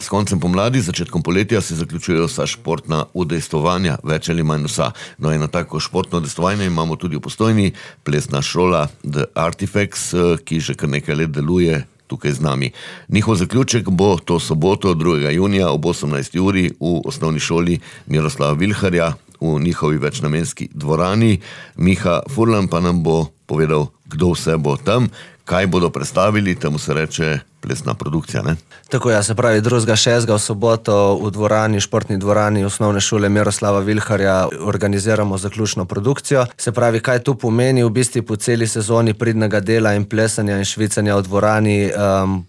S koncem pomladi, začetkom poletja se zaključujejo vsa športna udejstvovanja, več ali manj vsa. No, eno tako športno udejstvovanje imamo tudi v Postojni, plesna šola The Artifacts, ki že kar nekaj let deluje tukaj z nami. Njihov zaključek bo to soboto, 2. junija ob 18. uri v osnovni šoli Miroslava Vilharja v njihovi večnamenski dvorani. Miha Furlan pa nam bo povedal, kdo vse bo tam, kaj bodo predstavili, temu se reče plesna produkcija, ne? Tako ja, se pravi 2.6. v soboto v dvorani, športni dvorani osnovne šole Miroslava Vilharja organiziramo zaključno produkcijo. Se pravi, kaj tu pomeni, v bistvu po celi sezoni pridnega dela in plesanja in švicanja v dvorani,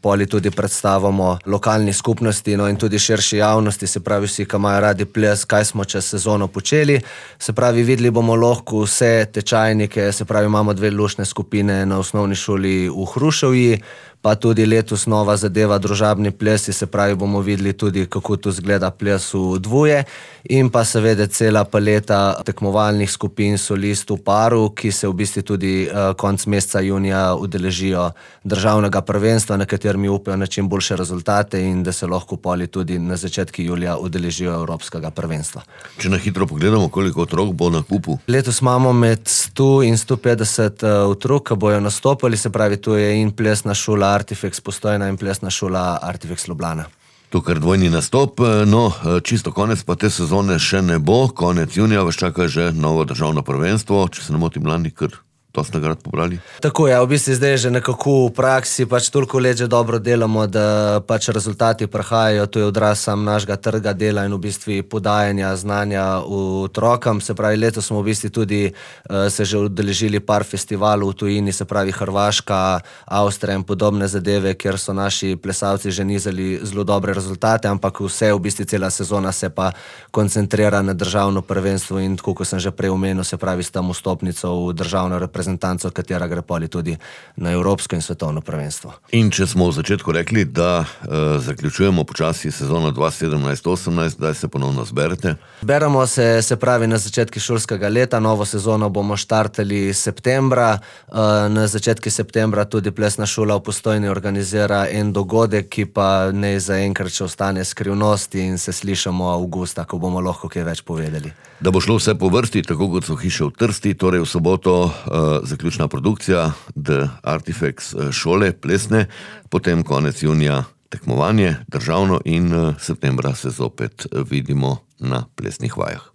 poli tudi predstavamo lokalni skupnosti, no in tudi širši javnosti, se pravi vsi, ki imajo radi ples, kaj smo čez sezono počeli. Se pravi, videli bomo lahko vse tečajnike, se pravi, imamo 2 luštne skupine na osnovni šoli v Hruševji, pa tudi letos nova zadeva družabni plesi, se pravi, bomo videli tudi, kako tu zgleda ples v dvoje in pa seveda cela paleta tekmovalnih skupin solistov paru, ki se v bistvu tudi konec meseca junija udeležijo državnega prvenstva, na katerem upajo na čim boljše rezultate in da se lahko poli tudi na začetku julija udeležijo evropskega prvenstva. Če na hitro pogledamo, koliko otrok bo na kupu? Letos imamo med 100 in 150 otrok, ki bojo nastopili, se pravi, tu je in plesna šola Artifacts Postojna in plesna šola Artifacts Ljubljana. To kar dvojni nastop, no, čisto konec pa te sezone še ne bo, konec junija vas čaka že novo državno prvenstvo, če se ne motim, lani kar dosti nagrad pobrali. Tako je, v bistvu zdaj že nekako v praksi pač toliko let že dobro delamo, da pač rezultati prihajajo, to je odraz sam našega trga dela in v bistvu podajanja znanja otrokom. Se pravi, letos smo v bistvu tudi se že udeležili par festivalov v tujini, se pravi Hrvaška, Avstrija in podobne zadeve, kjer so naši plesalci že nizali zelo dobre rezultate, ampak vse v bistvu cela sezona se pa koncentrira na državno prvenstvo in tako, kot sem že prej omenil, se pravi s tam vstopnico v državno reprezentanco, katera gre poli tudi na evropsko in svetovno prvenstvo. In če smo v začetku rekli, da zaključujemo počasi sezono 2017-18, kdaj se ponovno zberete? Zberemo se pravi na začetku šolskega leta, novo sezono bomo štartali septembra, na začetku septembra tudi plesna šola v Postojni organizira en dogodek, ki pa ne zaenkrat še ostane skrivnost in se slišamo avgusta, ko bomo lahko kaj več povedali. Da bo šlo vse po vrsti, tako kot so hiše v Trsti, torej v soboto zaključna produkcija The Artifacts šole plesne, potem konec junija tekmovanje državno in septembra se zopet vidimo na plesnih vajah.